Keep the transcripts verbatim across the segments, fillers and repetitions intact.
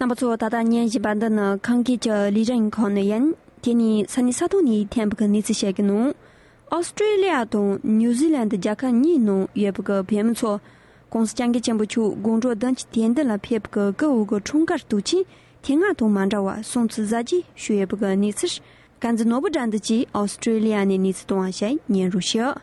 རྣམ་པ་ཚོ། ད་ལྟ་ཉན་བཞིན་པ་འདི་ནི་ཁམས་སྐད་ཀྱི་ལས་རིམ་ཁང་ནས་ཡིན། དེ་ནི་ས་གནས་ས་ཐོག་ནས་ཐོན་པའི་གནས་ཚུལ་བཤད་ཀྱི་ནོ། ཨོ་སི་ཀྲེ་ལི་ཡ་དང་ནིའུ་ཟི་ལན་རྒྱལ་ཁབ་གཉིས་ནང་ཡོད་པའི་བོད་མི་ཚོ། ༸གོང་ས་༸སྐྱབས་མགོན་ཆེན་པོ་མཆོག་དགུང་གྲངས་བདུན་ཅུ་དོན་བདུན་ལ་ཕེབས་པའི་སྐུ་འོས་ཀྱི་འཁྲུངས་སྐར་དུས་ཆེན་དེ་སྔ་དང་མ་འདྲ་བར་སྲུང་བརྩི་གཟབ་རྒྱས་ཞུས་ཡོད་པའི་གནས་ཚུལ། དཀར་མཛེས་ནོར་བུ་དགྲ་འདུལ་གྱིས་ཨོ་སི་ཀྲེ་ལི་ཡ་ནས་གནས་ཚུལ་བཏང་བ་ཞིག་ཉན་རོགས་ཞུ།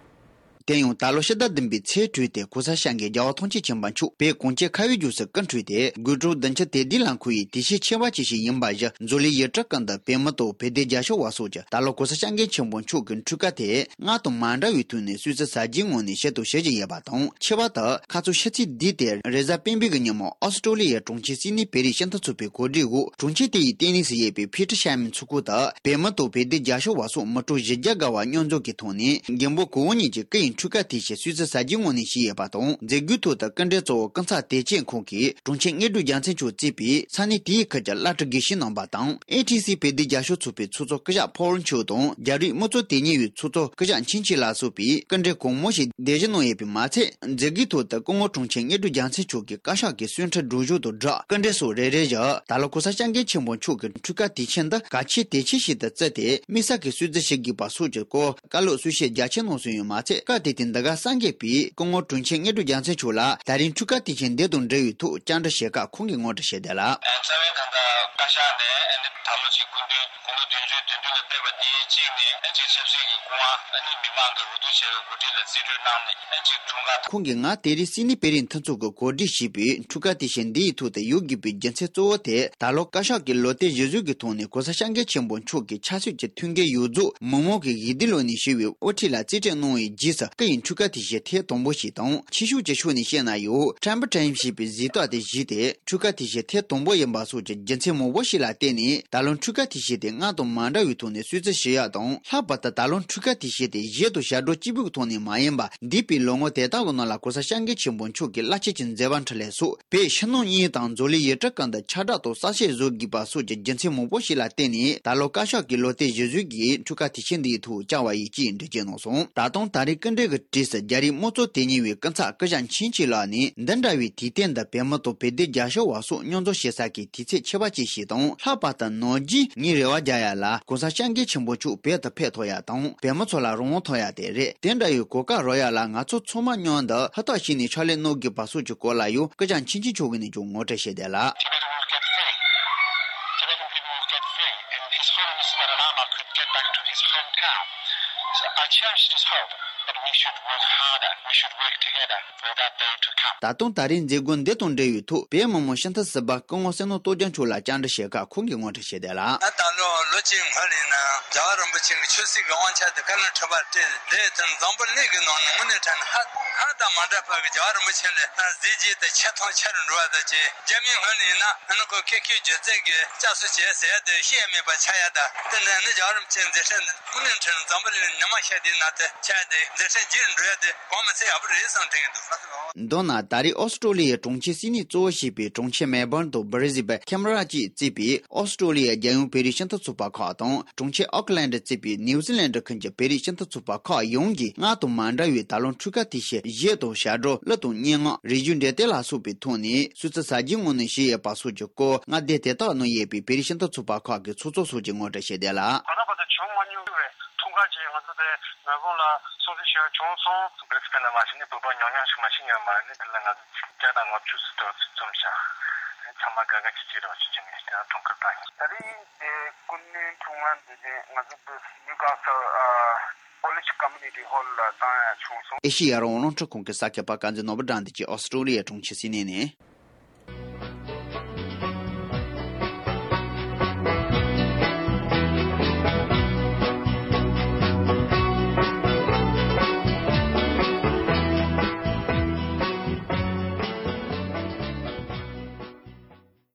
དེ་ཡང་ད་ལོ་ཕྱི་ཟླ་བདུན་པའི་ཚེས་དྲུག་སྟེ་གོང་ས་སྐྱབས་མགོན་རྒྱལ་བ་ཐམས་ཅད་མཁྱེན་པ་མཆོག་བོད་གངས་ཅན་ཁ་བའི་རྒྱལ་སར་སྐུ་འཁྲུངས་ཏེ། དགུང་གྲངས་བདུན་ཅུ་དོན་བདུན་ལ་འཁོད་པའི་དུས་ཆེན་ཆེ་བ་ཅིག་ཞིག་ཡིན་པ་བཞིན། མཛོད་གླིང་ཡིག་ཚང་ཁང་དུ་བོད་མི་དང་བོད་དོན་རྒྱབ་སྐྱོར་བ་སོགས་ཀྱིས་ད་ལོ་གོང་ས་སྐྱབས་མགོན་ཆེན་པོ་མཆོག་གི་འཁྲུངས་སྐར་དེ་སྔར་དང་མ་འདྲ་བའི་ཐོག་ནས་སྲུང་བརྩི་གཟབ་རྒྱས་ངང་ནས་ཞུ་དང་ཞུ་བཞིན་ཡོད་པ་དང་། ཁྱད་པར་དུ་ཁ་རྩང་ཕྱི་ཚེས་བདུན་སྟེ་རེས་གཟའ་སྤེན་པའི་ཉིན་མོ་ཨོ་སི་ཀྲེ་ལི་ཡའི་གྲོང་ཁྱེར་སིད་ནི་བོད་རིགས་སྤྱི་མཐུན་ཚོགས་པའི་གོ་སྒྲིག་འོག་གྲོང་ཁྱེར་དེ་ཡི་ལྟེ་གནས་སུ་ཡོད་པའི་ཕི་ཊི་ཤར་མན་ཚོགས་ཁང་དུ་བོད་མི་དང་བོད་དོན་རྒྱབ་སྐྱོར་བ་སོགས་མི་གྲངས་བཞི་བརྒྱ་བརྒལ་བ་མཉམ་འཛོམས་ཀྱི་ཐོག་ནས། རྒན་པོ་གོ་བོ་ཉིད་ཀྱི་སྐུ་ཡི་འཁྲུངས་སྐར་དུས་ཆེན་སྲུང་བརྩི་གཟབ་རྒྱས་ངང་ནས་ཞུས་ཡོད་པ་དང་། མཛད་སྒོའི་ཐོག་ཏུ་སྐུ་མགྲོན་གཙོ་བོ་ཀུན་བཟང་བདེ་ཆེན་ཁོང་གིས་གྲོང་ཁྱེར་དངོས་གྲུབ་རྒྱལ་མཚན་མཆོག་གཙོས་པའི་ས་གནས་དེའི་ཁུལ་གྱི་བླ་སྤྲུལ་དགེ་བཤེས་རྣམ་པ་དང་། ཨེ་ཊི་སི་བོད་དོན་རྒྱབ་སྐྱོར་ཚོགས་པའི་ཚོགས་གཙོ་སྐུ་ཞབས་ཕོ་ལོ་མཆོག་དང་། རྒྱ་རིགས་དམངས་གཙོ་དོན་གཉེར་བའི་ཚོགས་གཙོ་སྐུ་ཞབས་ཆིང་ཆིང་ལགས་སོགས་པའི་སྐུ་མགྲོན་གང་མང་ཞིག་གདན་ཞུ་གནང་ཡོད་པས་མ་ཚད། མཛད་སྒོའི་ཐོག་ཏུ་སྐུ་ངོ་དྲུང་ཆེ་དངོས་གྲུབ་རྒྱལ་མཚན་མཆོག་གིས་བཀའ་ཤག་གི་གསུང་འཕྲིན་སྒྲོག་སྦྱང་དང་སྦྲགས། སྐུ་མགྲོན་སོགས་རེ་རེ་བཞིན་ད་ལོ་གོང་ས་སྐྱབས་མགོན་ཆེན་པོ་མཆོག་གི་འཁྲུངས་སྐར་དུས་ཆེན་འདི་གལ་ཆེ་དུས་ཆེན་ཞིག་ཏུ་བརྩིས་ཏེ། དམིགས་བསལ་གྱིས་སྲུང་བརྩི་ཞུ་དགོས་པ་སོགས་ཀྱི་སྐོར་བཀའ་སློབ་གསུང་བཤད་རྒྱ་ཆེ་གནང་སོང་ཡོད་མ་ཚད། སྐབས་དེ་དུས་འདི་གར་གསར་འགོད་པས་སྐུ་ངོ་དྲུང་ཆེ་དངོས་གྲུབ་རྒྱལ་མཚན་མཆོག་ལ་ད་རེས་འཁྲུངས་སྐར་དུས་ཆེན་འདི་དང་འབྲེལ་བའི་ཐོག་བཅར་འདྲི་བྱེད་སྐབས། ཁོང་གིས་ངོ་སྤྲོད་བྱས་དོན་ལ། རྩ་བའི་ད་ལྟ་བཀའ་ཤག་ནས་ཨ་ནི་ད་ལོ་གཅིག་སྐུ་མདུན་དགུང་ལོ་བདུན་ཅུ་དོན་བདུན་ལ་ཕེབས་པ་དེའི་གཅིག་ནས་ཨ་ནི་ཆབ་སྲིད་ཀྱི་སྐུ་དབང་ཨ་ནི་མི་མང་གིས་འོས་བསྡུ་བྱས་པའི་འགོ་ཁྲིད་ལ་རྩིས་སྤྲོད་གནང་ནས་ཨ་ནི་གཅིག་འཁྲུངས་སྐར། ཁོང་གིས་ང་དེ་རིང་སིད་ནི་བོད་རིགས་མཐུན་ཚོགས་ཀྱིས་གོ་སྒྲིག་བྱས་པའི་འཁྲུངས་སྐར་དུས་ཆེན་འདི་ཡི་ཐོག་ཏུ་ཡོང་དགོས་པའི་རྒྱུ་མཚན་གཙོ་བོ་དེ། ད་ལོ་བཀའ་ཤག་གིས་ལོ་བསྟར་གཞིར་བཟུང་གི་ཐོག་ནས་གོང་ས་སྐྱབས་མགོན་ཆེན་པོ་མཆོག་གི་ཆབ་སྲིད་ཀྱི་ཐུགས་འགན་ཡོངས་རྫོགས་མི་མང་གིས་ཡིད་བདེ་ལོག་ནས་ཞུ་བའི་དབུ་ཁྲིད་ལ་རྩིས་སྤྲོད་གནང་བའི་རྗེས་སུ། སྐུ་ཡི་འཁྲུངས་སྐར་དུས་ཆེན་ཐེངས་དང་པོ་ཞིག་དང་། ཆོས་ཕྱོགས་ཀྱི་ཕྱོགས་ནས་བཤད་ན་ཡང་ཊེམ་པོ་ཊེམ་ཞེས་པའི་གཟེངས་རྟགས་དེ་བཞེས་ཏེ། འཁྲུངས་སྐར་དུས་ཆེན་ཐེངས་དང་པོ་ཡིན་པ་སོགས་ཀྱི་རྒྱུ་མཚན་མང་པོ་ཞིག་ལ་བརྟེན་ནས། ད་ལོ་འཁྲུངས་སྐར་དུས་ཆེན་དེ་སྔར་དང་མ་འདྲ་བའི་ཐོག་ནས་སྲུང་བརྩི་ཞུ་ཡག་དང་། ལྷག་པར་དུ་ད་ལོ་འཁྲུངས་སྐར་དུས་ཆེན་དེ་གཞས་དང་ཞབས་བྲོ་གཅིག་པུའི་ཐོག་ནས་མ་ཡིན་པར། འདས་པའི་ལོ་ངོ་དེ་དག་གི་ནང་ལ་གོང་ས་སྐྱབས་མགོན་ཆེན་པོ་མཆོག་གི་བླ་ཆེན་གྱི་མཛད་པ་འཕྲིན་ལས་སོགས་བོད་ཕྱི་ནང་གཉིས་དང་མཛོད་གླིང་ཡིག་ཚང་ཁང་དུ་ཁྱབ་བསྒྲགས་དང་གསལ་བཤད་བཟོ་དགོས་པ་སོགས་ཀྱི་རྒྱུ་མཚན་མང་པོ་ཞིག་ལ་བརྟེན་ནས། ད་ལོ་བཀའ་ཤག་གིས་ལོ་བསྟར་གཞིར་བཟུང་གིས་འཁྲུངས་སྐར་དུས་ཆེན་འདིའི་ཐོག་བཅར་བ་ཡིན་ཅེས་འགྲེལ་བརྗོད་གནང་སོང་། ད་དུང་ད་རེས་སྐུ་མགྲོན་གྱི་གྲས་སུ་རྒྱ་རིགས་དམངས་གཙོ་དོན་གཉེར་བའི་སྐུ་ཚབ་སྐུ་ཞབས་ཆིང་ཆིང་ལགས་ནས། འདི་འདྲ་བའི་དུས་སྟོན་འདི་བོད་མི་དང་བོད་དོན་རྒྱབ་སྐྱོར་བ་སོགས་མཉམ་འཛོམས་བྱེད་ས་ཀྱི་དུས་ཚོད་ཆེ་བ་ཅིག་ཞིག་དང་། ལྷག་པར་དུ་ནམ་རྒྱུན་ངའི་རེ་བ་རྒྱག་ཡག་ལ་གོང་ས་སྐྱབས་མགོན་ཆེན་པོ་མཆོག་བོད་དུ་ཕེབས་ཐུབ་ཡག་དང་། བོད་མི་ཚོ་ལ་རང་དབང་ཐོབ་ཡག་དེ་རེད། དེ་འདྲ་བའི་གོ་སྐབས་རག་ཡག་ལ་ང་ཚོ་ཚང་མ་མཉམ་དུ་ཧུར་ཐག་བྱས་ནས་ཕྱག་ལས་གནང་དགོས་པ་སོགས་ཀྱི་སྐོར་ལ་ཡང་སྐུ་ཞབས་ཆིང་ཆིང་མཆོག་གིས་ནས་ཀྱང་ངོ་སྤྲོད་བྱས་བསྡད་ལ། Tibetan will get free. Tibetan people will get free, and His Holiness the Dalai Lama could get back to his hometown. So I cherish this hope that we should work harder, we should work together for that day to come. ད་དུང་ད་རེས་མཛད་སྒོ་འདི་དང་འབྲེལ་བའི་ཐོག་བོད་མི་མང་སྤྱི་འཐུས་ཟུར་པ་སྐུ་ངོ་བསོད་ནམས་སྟོབས་རྒྱལ་མཆོག་ལ་བཅར་འདྲི་བྱེད་སྐབས་ཁོང་གིས་ངོ་སྤྲོད་བྱས་བསྡད་ལ། ད་ལོ་ལོ་གཅིག་སྔོན་ལ་ཡིན་ན་རྒྱལ་བ་རིན་པོ་ཆེ་གི་ཆོས་སྲིད་ཀྱི་དབང་ཆ་དེ་བཀའ་བློན་ཁྲི་པ་སྤྲད་དེ་དེ་འཛམ་བུ་གླིང་གི་ནང་ནས་དངོས་གནས་དྲང་གནས་ཧ་ཧ་དང་མ་འདྲ་བ་གི་རྒྱལ་བ་རིན་པོ་ཆེ་ལས་ཧ་གཟི་བརྗིད་དེ་ཆེ་མཐོང་ཆེ་རུ་འགྲོ་བ་དང་བཅས། རྒྱ་མིའི་ངོས་ནས་ཡིན་ན་ཨ་ནི་ཁོ་ཀེ་ཁེ་སྒྱུ་རྩལ་གྱི་བསྐྱར་གསོ་བྱས་ཟེར་ཡ་དེ་བཤད་ཡ་མེད་པ་ཆགས་ཡ། ད་དེ་འདྲ་ནི་རྒྱལ་བ་རིན་པོ་ཆེའི་མཛད་འཕྲིན་དངོས་གནས་དྲང་གནས་འཛམ་བུ་གླིང་ཉི་མ་ཤར་དུས་ན་དེ་ཆགས་ཡ་དེ་མཛད་འཕྲིན་རྒྱས་འགྲོ་ཡ་དེ་གོང་མ་ཚད་ཡག་པོ་རེད་བསམ་དྲན་གྱི་འདུག། མདོར་ན་ད་རེས་ཨོ་སི་ཀྲོ་ལི་ཡའི་གྲོང་ཁྱེར་སིད་ནི་གཙོ་བོ་བྱས་པའི་གྲོང་ཁྱེར་མེལ་བྷོན་དང་བྷི་རི་སི་བན། ཁེམ་ར་བཅས་གཙོས་པའི་ཨོ་སི་ཀྲོ་ལི་ཡའི་རྒྱལ་ཡོངས་བོད་རིགས་སྤྱི་མཐུན་ཚོགས་པ་ཁག་དང་། གྲོང་ཁྱེར་ཨོ་ཀི་ལན་ཌི་གཙོས་པའི་ནིའུ་ཟི་ལན་ཌི་ཁུལ་གྱི་བོད་རིགས་སྤྱི་མཐུན་ཚོགས་པ་ཁག་ཡོངས་ཀྱིས་སྔར་དང་མ་འདྲ་བའི་ད་ལོ་འཁྲུངས་སྐར་དུས་ཆེན་གཞས་དང་ཞབས་བྲོ། གླུ་དང་སྙན་ངག་རིག་གཞུང་འབྲེལ་གཏོད་ལ་སོགས་པའི་ཐོག་ནས་སྲུང་བརྩི་གཟབ་རྒྱས་ངང་ནས་བྱས་ཡོད་པ་སོགས་ཀྱི་སྐོར་མངའ་སྡེ་དེ་དག་ནང་ཡོད་པའི་བོད་རིགས་སྤྱི་མཐུན་ཚོགས་པ་ཁག་གི་ཚོགས་གཙོ་སོགས་ཀྱིས་ངོ་སྤྲོད་བྱས་བསྡད་ལ། ད་ལྟ་བར་དུ་བྱུང་མ་མྱོང་བའི་འཁྲུངས་སྐར་ཅིག་ང་ཚོ་དེ་མེལ་བྷོན་ལ་སྲུང་བརྩི་ཞུ་ཡ་བྱུང་སོང་། བྷི་རི་སི་བན་ལ་མ་ཕྱིན་ནས་བོད་པ་ཉུང་ཉུང་ཞིག་མ་ཕྱིན་ཡོད་མ་རེད། ནི་འདི་ལ་ང་ཚོ་བརྒྱ་དང་ལྔ་བཅུ་ཙམ་ཞིག་འཛོམས་ཤག། ཚང་མ་དགའ་དགའ་སྐྱིད་སྐྱིད་རོགས་ཅིག་བྱས་ནས་དེ་རང་འཁྲུངས་སྐར་བཏང་ཡིན། ད་རེས་དེ་སྐུ་མདུན་འཁྲུངས་སྐར་འདི་ནི་ང་ཚོ་བོད་ནིའུ་ཁ་སལ་ཨ་ཀོ་ལེཇ་ཀོ་མུ་ནི་ཊི་ཧོལ་ལ་བཏང་ཡ་བྱུང་སོང་། ཨེ་ཤེ་ཡ་རང་དབང་རླུང་འཕྲིན་ཁང་གི་གསར་འགོད་པ་དཀར་མཛེས་ནོར་བུ་དགྲ་འདུལ་གྱིས་ཨོ་སི་ཀྲོ་ལི་ཡའི་གྲོང་ཁྱེར་སིད་ནི་ནས།